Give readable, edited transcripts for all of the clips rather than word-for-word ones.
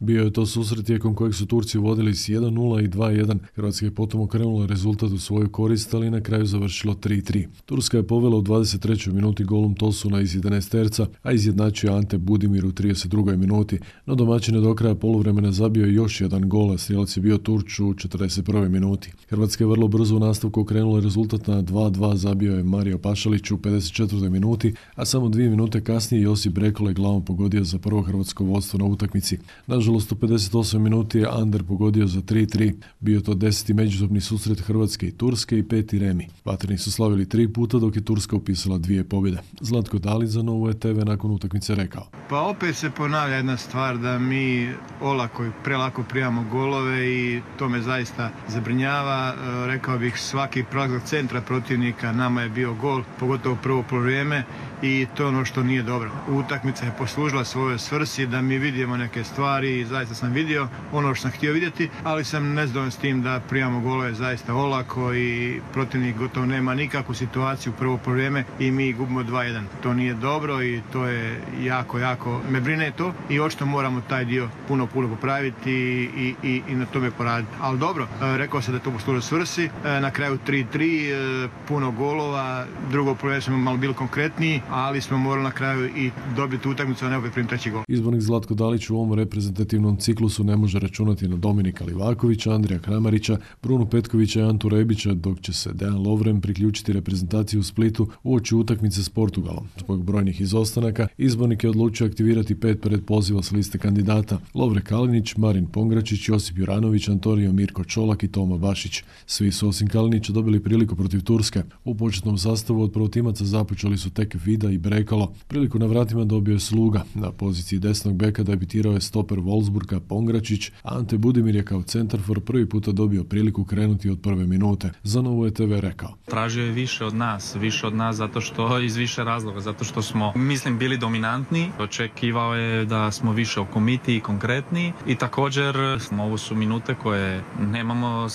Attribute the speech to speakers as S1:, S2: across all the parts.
S1: Bio je to susret tijekom kojeg su Turci vodili s 1:0 i 2:1. Hrvatska je potom okrenula rezultat u svoju korist, ali na kraju završilo 3:3. Turska je povela u 23. minuti golom Tosuna iz 11 a izjednačio Ante Budimir u 32. minuti, no domaćin je do kraja poluvremena zabio još jedan gol, a strijelac je bio Turč u 41. minuti. Hrvatska je vrlo brzo u nastavku okrenula rezultat na 2:2, zabio je Mario Pašalić u 54. minuti, a samo 2 minute kasnije Josip Brekalo je glavom pogodio za prvo hrvatsko vodstvo na utakmici. Nažalost, u 58 minuti je Ander pogodio za 3:3. Bio to 10. međusobni susret Hrvatske i Turske i 5. remi. Vatreni su slavili 3 puta, dok je Turska upisala 2 pobjede. Zlatko Dalić za Novu TV nakon utakmice rekao:
S2: Pa opet se ponavlja jedna stvar da mi olako i prelako primamo golove i to me zaista zabrinjava. Rekao bih, svaki prolazak centra protivnika nama je bio gol, pogotovo prvo poluvreme, i to je ono što nije dobro. Utakmica je poslužila svojoj svrsi da mi vidimo neke stvari i zaista sam vidio ono što sam htio vidjeti, ali sam nezadovoljan s tim da primamo golove zaista olako i protivnik gotovo nema nikakvu situaciju prvo poluvreme i mi gubimo 2:1. To nije dobro i to je jako me brine to i očito moramo taj dio puno popraviti i na tome poraditi. Ali dobro, rekao sam da je to poslužilo svrsi, na kraju 3:3, puno golova, drugo poluvreme smo malo bili konkretniji, ali smo morali na kraju i dobiti utakmicu, a ne opet primiti treći gol.
S1: Izbornik Zlatko Dalić u ovom reprezentativnom ciklusu ne može računati na Dominika Livakovića, Andrija Kramarića, Brunu Petkovića i Antu Rebića, dok će se Dejan Lovren priključiti reprezentaciji u Splitu uoči utakmice s Portugalom. Zbog brojnih izostanaka, izbornik je odlučio aktivirati 5 predpoziva s liste kandidata: Lovre Kalinić, Marin Pongračić, Josip Juranović, Antonio Mirko Čolak i Toma Bašić. Svi su osim Kalinića dobili priliku protiv Turske. U početnom sastavu od prvotimaca započeli su tek Vida i Brekalo. Priliku na vratima dobio je Sluga. Na poziciji desnog beka debitirao je stoper Wolfsburga Pongračić, a Ante Budimir je kao centarfor prvi puta dobio priliku krenuti od prve minute. Za Novu TV rekao:
S3: Tražio je više od nas zato što iz više razloga, zato što smo, mislim, bili dominantni. Očekivao je da smo više okomiti i konkretni i također ovo su minute koje nemamo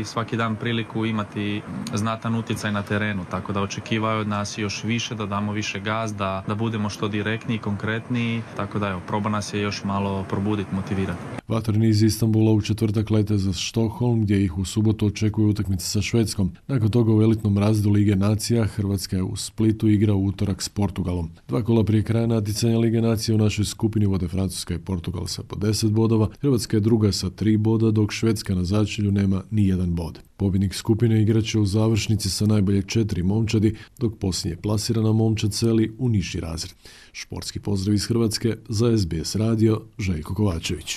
S3: svaki dan priliku imati znatan utjecaj na terenu, tako da očekivao je od nas još više, da damo više gaz, da budemo što direktniji, konkretniji, tako da proba nas je još malo probuditi, motivirati.
S1: Vatreni iz Istanbula u četvrtak lete za Stockholm, gdje ih u subotu očekuje utakmica sa Švedskom. Nakon toga u elitnom razredu Lige nacija Hrvatska je u Splitu igra u utorak s Portugalom. 2 kola prije kraja natjecanja Lige nacije u našoj skupini vode Francuska i Portugal sa po 10 bodova, Hrvatska je druga sa 3 boda, dok Švedska na začelju nema ni 1 bod. Pobjednik skupine igraće u završnici sa najbolje 4 momčadi, dok posljednje plasirana momčad seli u niži razred. Športski pozdrav iz Hrvatske, za SBS radio, Željko Kovačević.